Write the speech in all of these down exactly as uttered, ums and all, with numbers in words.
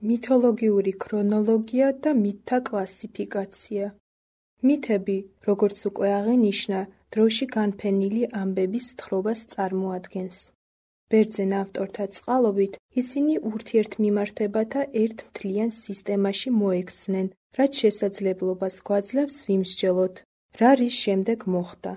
მითოლოგიური ქრონოლოგია და მითთა კლასიფიკაცია. მითები, როგორც უკვე აღინიშნა, დროში განფენილი ამბების თხრობას წარმოადგენს. ბერძენ ავტორთა წყალობით ისინი ურთიერთმიმართებათა ერთ მთლიან სისტემაში მოექცნენ, რაც შესაძლებლობას გვაძლევს ვიმსჯელოთ, რა რის შემდეგ მოხდა.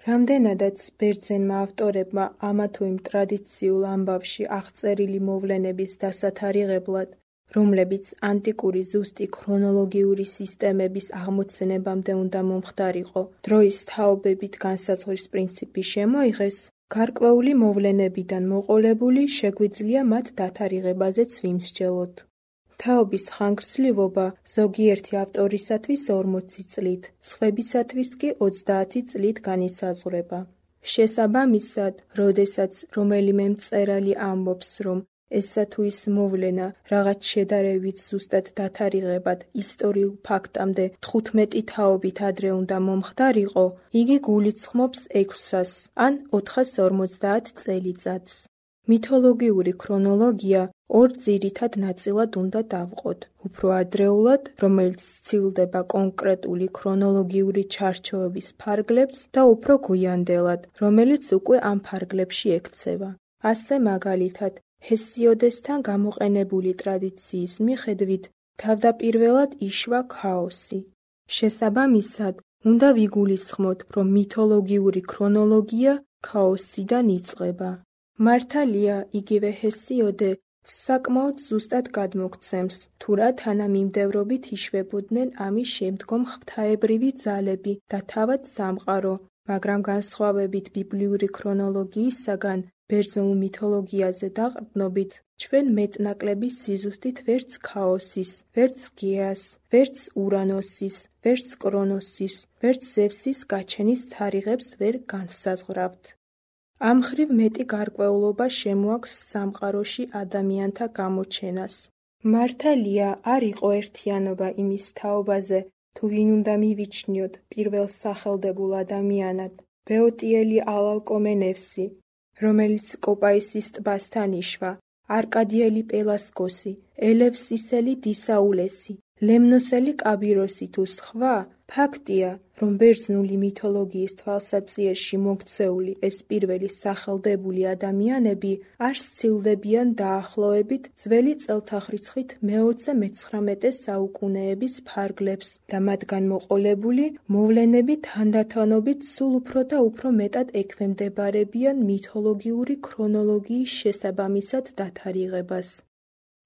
რამდენადაც ბერძენმა ავტორებმა ამა თუ იმ ტრადიციულ ამბავში აღწერილი მოვლენების დასათარიღებლად, რომლებიც ანტიკური ზუსტი ქრონოლოგიური სისტემების აღმოცენებამდე უნდა მომხდარიყო, დროის თაობებით განსაზღვრის პრინციპი შემოიღეს, გარკვეული მოვლენებიდან მოყოლებული შეგვიძლია მათ დათარიღებაზეც ვიმსჯელოთ. თაობის ხანგრძლივობა ზოგიერთი ავტორისათვის ორმოცი წლით, სხვებისათვის კი ოცდაათი წლით განისაზღვრება. შესაბამისად, როდესაც რომელიმე მწერალი ამბობს, რომ ესა თუ ის მოვლენა რაღაც შედარებით ზუსტად დათარიღებად ისტორიულ ფაქტამდე თხუთმეტი თაობით ადრე უნდა მომხდარიყო, იგი გულისხმობს ექვსას ან ოთხას ორმოცდაათ წელიწადს. მითოლოგიური ქრონოლოგია ორ ძირითად ნაწილად უნდა დავყოთ: უფრო ადრეულად, რომელიც სცილდება კონკრეტული ქრონოლოგიური ჩარჩოების ფარგლებს და უფრო გვიანდელად, რომელიც უკვე ამ ფარგლებში ექცევა. ასე მაგალითად, ჰესიოდესთან გამოყენებული ტრადიციის მიხედვით თავდაპირველად იშვა ქაოსი. შესაბამისად, უნდა ვიგულისხმოთ, რომ მითოლოგიური ქრონოლოგია ქაოსიდან იწყება. მართალია, იგივე ჰესიოდე საკმაოდ ზუსტად გადმოგვცემს, თუ რა თანამიმდევრობით იშვებოდნენ ამის შემდგომ ღვთაებრივი ძალები და თავად სამყარო, მაგრამ განსხვავებით ბიბლიური ქრონოლოგიისაგან, ბერძნულ მითოლოგიაზე დაყრდნობით, ჩვენ მეტნაკლები სიზუსტით ვერც ქაოსის, ვერც გეას, ვერც ურანოსის, ვერც კრონოსის, ვერც ზევსის გაჩენის თარიღებს ვერ განსაზღვრავთ. ამ მხრივ მეტი გარკვეულობა შემოაქვს სამყაროში ადამიანთა გამოჩენას. მართალია, არ იყო ერთიანობა იმის თაობაზე, თუ ვინ უნდა მივიჩნიოთ პირველ სახელდებულ ადამიანად, ბეოტიელი ალალკომენევსი, რომელიც კოპაისის ტბასთან იშვა, არკადიელი პელასკოსი, ელევსისელი დისაულესი, ლემნოსელი კაბიროსი თუ სხვა, ფაქტია, რომ ბერძნული მითოლოგიის თვალსაჩინოში მოქცეული ეს პირველი სახელდებული ადამიანები არ სცილდებიან დაახლოებით ძველი წელთაღრიცხვით მეოცე მეცხრამეტე საუკუნეების ფარგლებს და მათგან მოყოლებული მოვლენები თანდათანობით სულ უფრო და უფრო მეტად ექვემდებარებიან მითოლოგიური ქრონოლოგიის შესაბამისად დათარიღებას.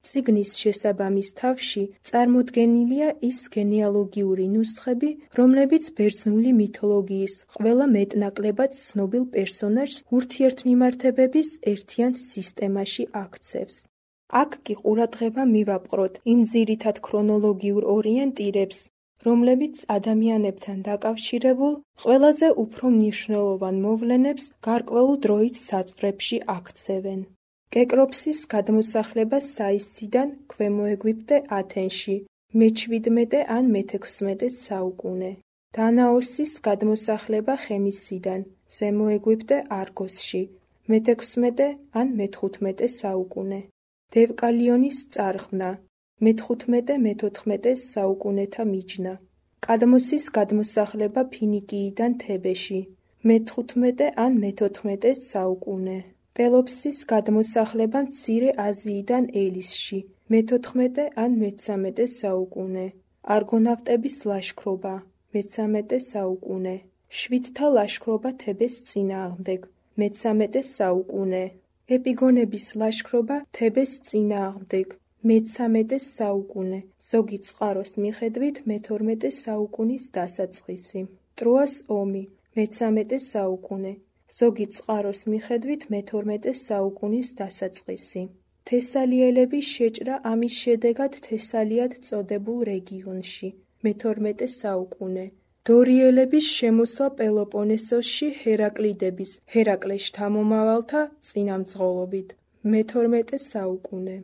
წიგნის შესაბამის თავში წარმოდგენილია ის გენეალოგიური ნუსხები, რომლებიც ბერძნული მითოლოგიის ყველა მეტნაკლებად ცნობილ პერსონაჟს ურთიერთმიმართებების ერთიან სისტემაში აქცევს. აქ კი ყურადღება მივაპყროთ იმ ძირითად ქრონოლოგიურ ორიენტირებს, რომლებიც ადამიანებთან დაკავშირებულ ყველაზე უფრო მნიშვნელოვან მოვლენებს გარკვეულ დროით საზღვრებში აქცევენ. კეკროპსის გადმოსახლება საისციდან ქვემო ეგვიპტე ათენში, მეჩვიდმეტე ან მეთექვსმეტე საუკუნე. დანაოსის გადმოსახლება ხემისიდან, ზემო ეგვიპტე არგოსში, მეთექვსმეტე ან მეთხუთმეტე საუკუნე. დევკალიონის წარღვნა, მეთხუთმეტე მეთოთხმეტე საუკუნეთა მიჯნა. კადმოსის გადმოსახლება ფინიკიიდან თებეში, მეთხუთმეტე ან მეთოთხმეტე საუკუნე. პელოპსის გადმოსახლება მცირე აზიიდან ელისში, მეთოთხმეტე ან მეცამეტე საუკუნე. არგონავტების ლაშქრობა, მეცამეტე საუკუნე. შვიდთა ლაშქრობა თებეს წინააღმდეგ, მეცამეტე საუკუნე. ეპიგონების ლაშქრობა თებეს წინააღმდეგ, მეცამეტე საუკუნე, ზოგი წყაროს მიხედვით მეთორმეტე საუკუნის დასაწყისი. ტროას ომი, მეცამეტე საუკუნე, ზოგი წყაროს მიხედვით მეთორმეტე საუკუნის დასაწყისი. თესალიელების შეჭრა ამის შედეგად თესალიად წოდებულ რეგიონში, მეთორმეტე საუკუნე. დორიელების შემოსვლა პელოპონესოსში ჰერაკლიდების, ჰერაკლეს შთამომავალთა წინამძღოლობით, მეთორმეტე საუკუნე.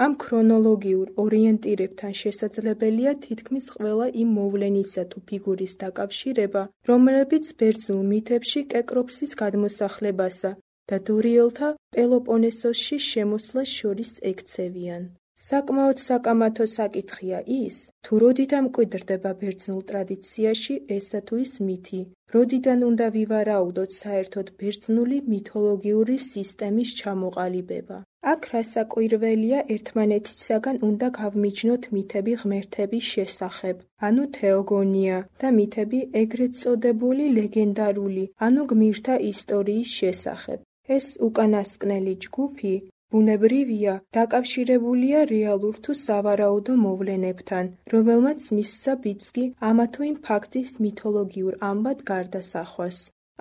ამ ქრონოლოგიურ ორიენტირებთან შესაძლებელია თითქმის ყველა იმ მოვლენისა თუ ფიგურის დაკავშირება, რომლებიც ბერძნულ მითებში კეკროპსის გადმოსახლებასა და დორიელთა პელოპონესოსში შემოსვლას შორის ექცევიან. საკმაოდ საკამათო საკითხია ის, თუ როდიდან მკვიდრდება ბერძნულ ტრადიციაში ესა თუ ის მითი, როდიდან უნდა ვივარაუდოთ საერთოდ ბერძნული მითოლოგიური სისტემის ჩამოყალიბება. აქ რასაკვირველია ერთმანეთისაგან უნდა გავმიჯნოთ მითები ღმერთების შესახებ, ანუ თეოგონია და მითები ეგრეთ წოდებული ლეგენდარული, ანუ გმირთა ისტორიის შესახებ. ეს უკანასკნელი ჯგუფი ბუნებრივია, დაკავშირებულია რეალურ თუ სავარაუდო მოვლენებთან, რომელმაც მისცა ბიძგი ამა თუ იმ ფაქტის მითოლოგიურ ამბად გარდასახვას.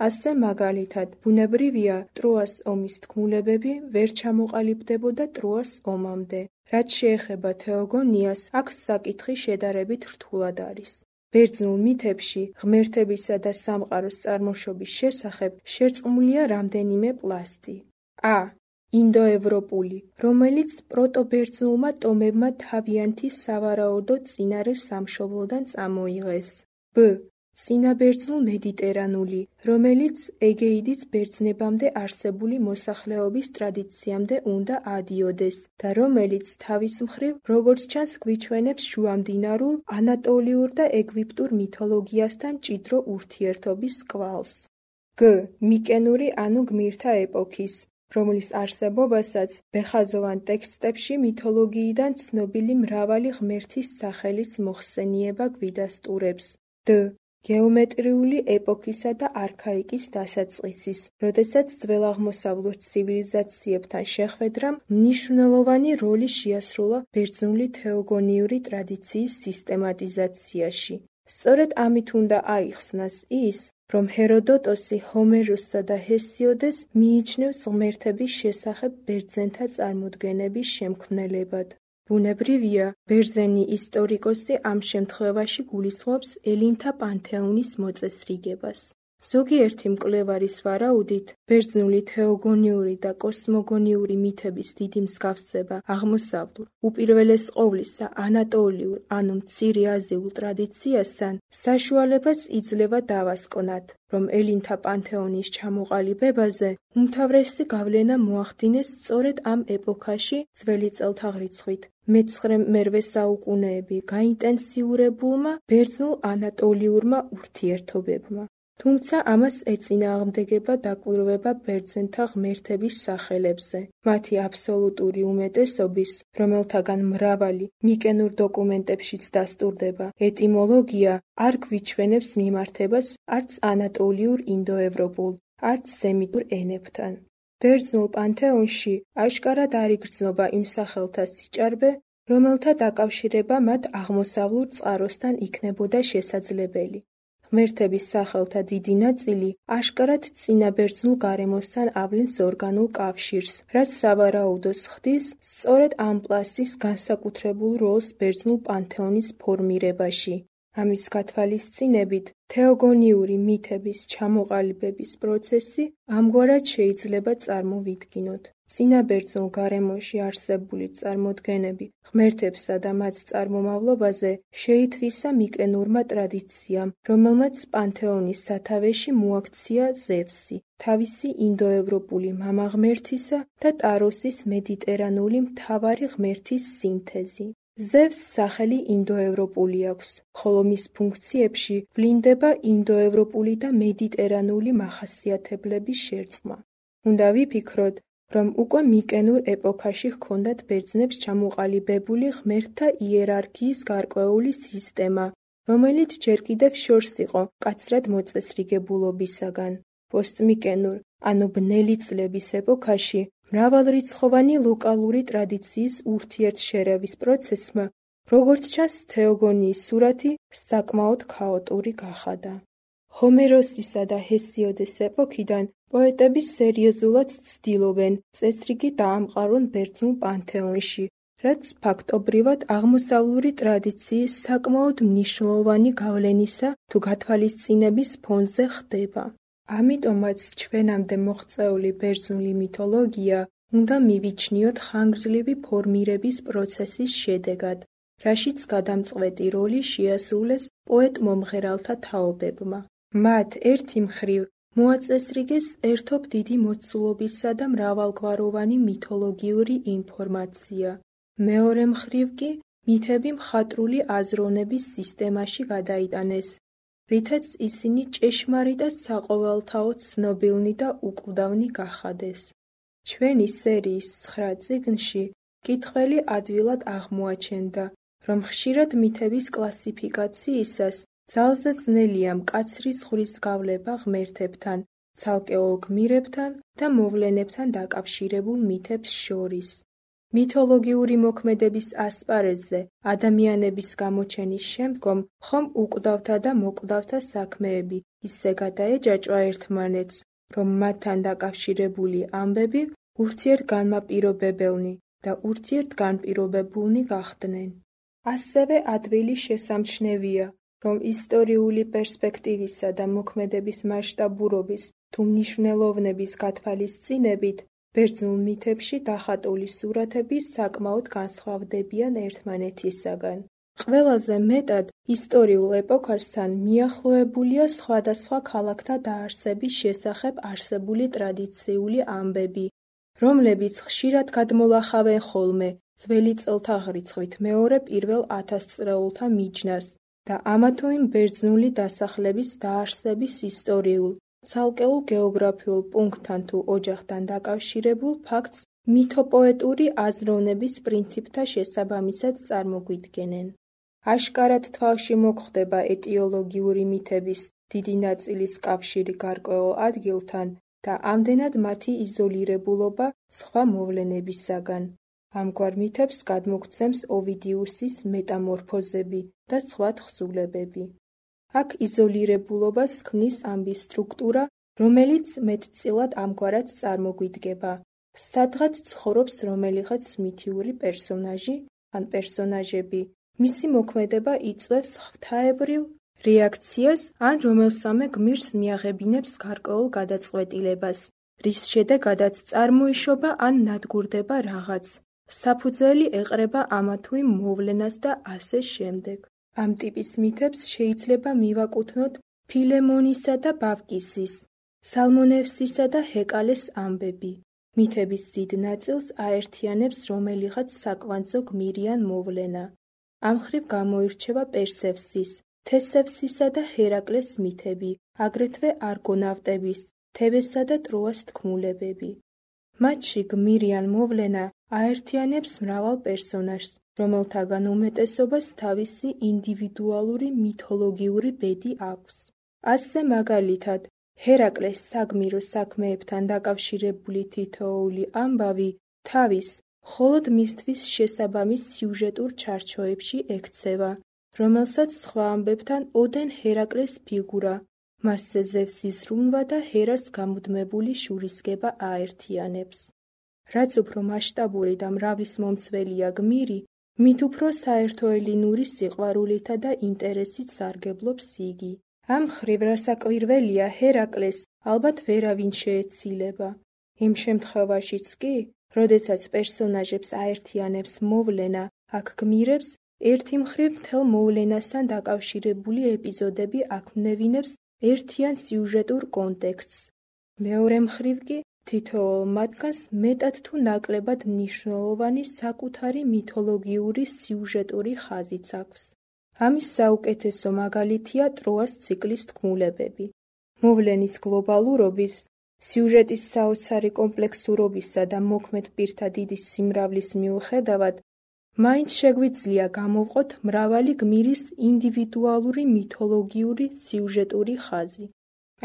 ასე მაგალითად, ბუნებრივია, ტროას ომის თქმულებები ვერ ჩამოყალიბდებოდა ტროას ომამდე. რაც შეეხება თეოგონიას, აქ საკითხი შედარებით რთულად არის. ბერძნულ მითებში ღმერთებისა და სამყაროს წარმოშობის შესახებ შერწყმულია რამდენიმე პლასტი. ა. ინდოევროპული, რომელიც პროტობერძნულმა ტომებმა თავიანთი სავარაუდო წინარე სამშობლოდან წამოიღეს. ბ. წინაბერძნულ მედიტერანული, რომელიც ეგეიდის ბერძნებამდე არსებული მოსახლეობის ტრადიციამდე უნდა ადიოდეს და რომელიც თავის მხრივ, როგორც ჩანს, გვიჩვენებს შუამდინარულ, ანატოლიურ და ეგვიპტურ მითოლოგიასთან მჭიდრო ურთიერთობის კვალს. გ. მიკენური ანუ გმირთა ეპოქის, რომლის არსებობასაც ბეხაზოვან ტექსტებში მითოლოგიიდან ცნობილი მრავალი ღმერთის სახელის მოხსენიება გვიდასტურებს. დ. გეომეტრიული ეპოქისა და არქაიკის დასაწყისის, როდესაც ძველაღმოსავლურ ცივილიზაციებთან შეხვედრამ მნიშვნელოვანი როლი შეასრულა ბერძნული თეოგონიური ტრადიციის სისტემატიზაციაში. სწორედ ამით უნდა აიხსნას ის, რომ ჰეროდოტოსი ჰომეროსსა და ჰესიოდეს მიიჩნევს ღმერთების შესახებ ბერძენთა წარმოდგენების შემქმნელებად. ბუნებრივია, ბერძენი ისტორიკოსი ამ შემთხვევაში გულისხმობს ელინთა პანთეონის მოწესრიგებას. ზოგიერთი მკვლევარის ვარაუდით, ბერძნული თეოგონიური და კოსმოგონიური მითების დიდი მსგავსება აღმოსავლურ, უპირველეს ყოვლისა ანატოლიურ ანუ მცირე აზიულ ტრადიციასთან საშუალებას იძლევა დავასკვნათ, რომ ელინთა პანთეონის ჩამოყალიბებაზე უმთავრესი გავლენა მოახდინეს სწორედ ამ ეპოქაში ძველი წელთაღრიცხვით მეცხრე-მერვე საუკუნეები გაინტენსიურებულმა ბერძნულ ანატოლიურმა ურთიერთობებმა. თუმცა ამას ეწინააღმდეგება დაკვირვება ბერძენთა ღმერთების სახელებზე, მათი აბსოლუტური უმეტესობის, რომელთაგან მრავალი მიკენურ დოკუმენტებშიც დასტურდება, ეტიმოლოგია არ გვიჩვენებს მიმართებას არც ანატოლიურ ინდოევროპულ, არც სემიტურ ენებთან. ბერძნულ პანთეონში აშკარად არ იგრძნობა იმ სახელთა სიჭარბე, რომელთა დაკავშირება მათ აღმოსავლურ წყაროსთან იქნებოდა შესაძლებელი. ღმერთების სახელთა დიდი ნაწილი აშკარად წინაბერძნულ გარემოსთან ავლენს ორგანულ კავშირს, რაც სავარაუდოს ხდის სწორედ ამ პლასტის განსაკუთრებულ როლს ბერძნულ პანთეონის ფორმირებაში. ამის გათვალისწინებით, თეოგონიური მითების ჩამოყალიბების პროცესი ამგვარად შეიძლება წარმოვიდგინოთ. წინაბერძნულ გარემოში არსებული წარმოდგენები ღმერთებსა და მათ წარმომავლობაზე შეითვისა მიკენურმა ტრადიციამ, რომელმაც პანთეონის სათავეში მოაქცია ზევსი, თავისი ინდოევროპული მამაღმერთისა და ტაროსის მედიტერანული მთავარი ღმერთის სინთეზი. ზევსს სახელი ინდოევროპული აქვს, ხოლო მის ფუნქციებში ვლინდება ინდოევროპული და მედიტერანული მახასიათებლების შერწყმა. უნდა ვიფიქროთ, რომ უკვე მიკენურ ეპოქაში ჰქონდათ ბერძნებს ჩამოყალიბებული ღმერთთა იერარქიის გარკვეული სისტემა, რომელიც ჯერ კიდევ შორს იყო მკაცრად მოწესრიგებულობისაგან. პოსტმიკენურ, ანუ ბნელი წლების ეპოქაში მრავალრიცხოვანი ლოკალური ტრადიციის ურთიერთშერევის პროცესმა, როგორც ჩანს, თეოგონიის სურათი საკმაოდ ქაოტური გახადა. ჰომეროსისა და ჰესიოდეს ეპოქიდან პოეტები სერიოზულად ცდილობენ წესრიგი დაამყარონ ბერძნულ პანთეონში, რაც ფაქტობრივად აღმოსავლური ტრადიციის საკმაოდ მნიშვნელოვანი გავლენისა თუ გათვალისწინების ფონზე ხდება. ამიტომაც ჩვენამდე მოღწეული ბერძნული მითოლოგია უნდა მივიჩნიოთ ხანგრძლივი ფორმირების პროცესის შედეგად, რაშიც გადამწყვეტი როლი შეასრულეს პოეტ-მომღერალთა თაობებმა. მათ ერთი მხრივ მოაწესრიგეს ერთობ დიდი მოცულობისა და მრავალგვაროვანი მითოლოგიური ინფორმაცია, მეორე მხრივ კი მითები მხატვრული აზროვნების სისტემაში გადაიტანეს, რითაც ისინი ჭეშმარიტად საყოველთაოდ ცნობილნი და უკვდავნი გახადეს. ჩვენი სერიის ცხრა წიგნში მკითხველი ადვილად აღმოაჩენდა, რომ ხშირად მითების კლასიფიკაციისას ძალზე ძნელია მკაცრი ზღვრის გავლება ღმერთებთან, ცალკეულ გმირებთან და მოვლენებთან დაკავშირებულ მითებს შორის. მითოლოგიური მოქმედების ასპარეზზე ადამიანების გამოჩენის შემდგომ ხომ უკვდავთა და მოკვდავთა საქმეები ისე გადაეჯაჭვა ერთმანეთს, რომ მათთან დაკავშირებული ამბები ურთიერთგანმაპირობებელნი და ურთიერთგანპირობებულნი გახდნენ. ასევე ადვილი შესამჩნევია, რომ ისტორიული პერსპექტივისა და მოქმედების მასშტაბურობის თუ მნიშვნელოვნების გათვალისწინებით ბერძნულ მითებში დახატული სურათები საკმაოდ განსხვავდებიან ერთმანეთისაგან. ყველაზე მეტად ისტორიულ ეპოქასთან მიახლოებულია სხვადასხვა ქალაქთა დაარსების შესახებ არსებული ტრადიციული ამბები, რომლებიც ხშირად გადმოლახავენ ხოლმე ძველი წელთაღრიცხვით მეორე პირველ ათასწლეულთა მიჯნას და ამა თუ იმ ბერძნული დასახლების დაარსების ისტორიულ, ცალკეულ გეოგრაფიულ პუნქტთან თუ ოჯახთან დაკავშირებულ ფაქტს მითოპოეტური აზროვნების პრინციპთა შესაბამისად წარმოგვიდგენენ. აშკარად თვალში მოხვდება ეტიოლოგიური მითების დიდი ნაწილის კავშირი გარკვეულ ადგილთან და ამდენად მათი იზოლირებულობა სხვა მოვლენებისაგან. ამგვარ მითებს გადმოგვცემს ოვიდიუსის მეტამორფოზები და სხვა თხზულებები. აქ იზოლირებულობას ქმნის ამბის სტრუქტურა, რომელიც მეტწილად ამგვარად წარმოგვიდგება. სადღაც ცხოვრობს რომელიღაც მითიური პერსონაჟი ან პერსონაჟები, მისი მოქმედება იწვევს ღვთაებრივ რეაქციას ან რომელსამე გმირს მიაღებინებს გარკვეულ გადაწყვეტილებას, რის შედეგადაც წარმოიშობა ან ნადგურდება რაღაც. საფუძველი ეყრება ამა თუ იმ მოვლენას და ასე შემდეგ. ამ ტიპის მითებს შეიძლება მივაკუთვნოთ ფილემონისა და ბავკისის, სალმონევსისა და ჰეკალეს ამბები. მითების დიდ ნაწილს აერთიანებს რომელიღაც საკვანძო გმირი ან მოვლენა. ამ მხრივ გამოირჩევა პერსევსის, თესევსისა და ჰერაკლეს მითები, აგრეთვე არგონავტების, თებესა და ტროას თქმულებები. მათში გმირი ან მოვლენა აერთიანებს მრავალ პერსონაჟს, რომელთაგან უმეტესობას თავისი ინდივიდუალური მითოლოგიური ბედი აქვს. ასე მაგალითად, ჰერაკლეს საგმირო საქმეებთან დაკავშირებული თითოეული ამბავი თავის მხოლოდ მისთვის შესაბამის სიუჟეტურ ჩარჩოებში ექცევა, რომელსაც სხვა ამბებთან ოდენ ჰერაკლეს ფიგურა, მასზე ზევსის ზრუნვა და ჰერას გამუდმებული შურისგება აერთიანებს. რაც უფრო მასშტაბური და მრავალისმომცველია გმირი, მით უფრო საერთოელინური სიყვარულითა და ინტერესით სარგებლობს იგი. ამ მხრივ რასაკვირველია ჰერაკლეს ალბათ ვერავინ შეეცილება. იმ შემთხვევაშიც კი, როდესაც პერსონაჟებს აერთიანებს მოვლენა, აქ გმირებს ერთი მხრივ მთელ მოვლენასთან დაკავშირებული ეპიზოდები აქმნევინებს ერთიან სიუჟეტურ კონტექსტს. მეორე მხრივ კი თითოეულ მათგანს მეტად თუ ნაკლებად მნიშვნელოვანი საკუთარი მითოლოგიური სიუჟეტური ხაზიც აქვს. ამის საუკეთესო მაგალითია ტროას ციკლის თქმულებები. მოვლენის გლობალურობის, სიუჟეტის საოცარი კომპლექსურობისა და მოქმედ პირთა დიდი სიმრავლის მიუხედავად, მაინც შეგვიძლია გამოვყოთ მრავალი გმირის ინდივიდუალური მითოლოგიური სიუჟეტური ხაზი.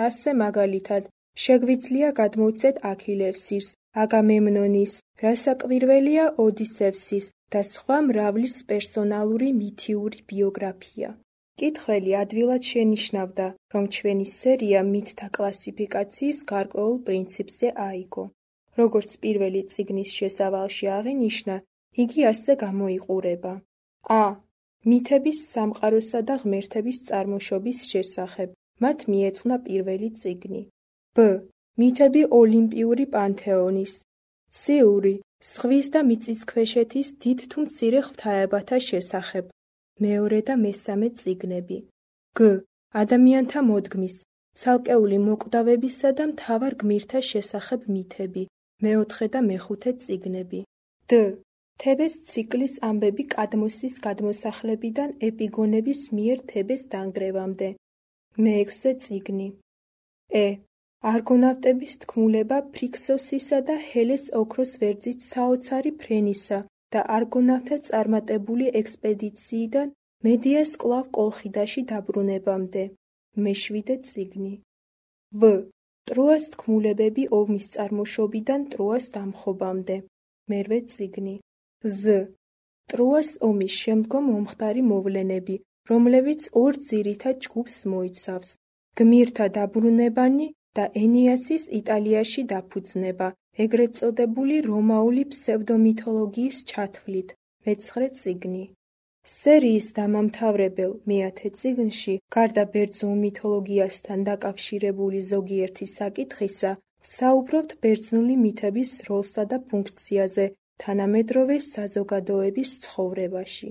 ასე მაგალითად, შეგვიძლია გადმოვცეთ აქილევსის, აგამემნონის, რასაკვირველია ოდისევსის და სხვა მრავლის პერსონალური მითიური ბიოგრაფია. მკითხველი ადვილად შენიშნავდა, რომ ჩვენი სერია მითთა კლასიფიკაციის გარკვეულ პრინციპზე აიგო. როგორც პირველი წიგნის შესავალში აღინიშნა, იგი ასე გამოიყურება. ა. მითების სამყაროსა და ღმერთების წარმოშობის შესახებ, მათ მიეძღვნა პირველი წიგნი. ბ. მითები ოლიმპიური პანთეონის, ციური, ზღვის და მიწისქვეშეთის დიდ თუ მცირე ღვთაებათა შესახებ, მეორე და მესამე წიგნები. გ. ადამიანთა მოდგმის, ცალკეული მოკვდავებისა და მთავარ გმირთა შესახებ მითები, მეოთხე და მეხუთე წიგნები. դ. თებეს ციკლის ამბები კადმოსის გადმოსახლებიდან ეპიგონების მიერ თებეს დანგრევამდე. მეექვსე წიგნი. ე. არგონავტების თქმულება ფრიქსოსისა და ჰელეს ოქროს ვერძით საოცარი ფრენისა და არგონავთა წარმატებული ექსპედიციიდან მედეას კვლავ კოლხიდაში დაბრუნებამდე. მეშვიდე წიგნი. ვ. ტროას თქმულებები ომის წარმოშობიდან ტროას დამხობამდე. მერვე წიგნი. ზ. ტროას ომის შემდგომ მომხდარი მოვლენები, რომლებიც ორ ძირითად ჯგუფს მოიცავს: გმირთა დაბრუნებანი და ენეასის იტალიაში დაფუძნება, ეგრეთ წოდებული რომაული ფსევდომითოლოგიის ჩათვლით. მეცხრე წიგნი. სერიის დამამთავრებელ მეათე წიგნში, გარდა ბერძნულ მითოლოგიასთან დაკავშირებული ზოგიერთი საკითხისა, ვსაუბრობთ ბერძნული მითების როლსა და ფუნქციაზე თანამედროვე საზოგადოების ცხოვრებაში.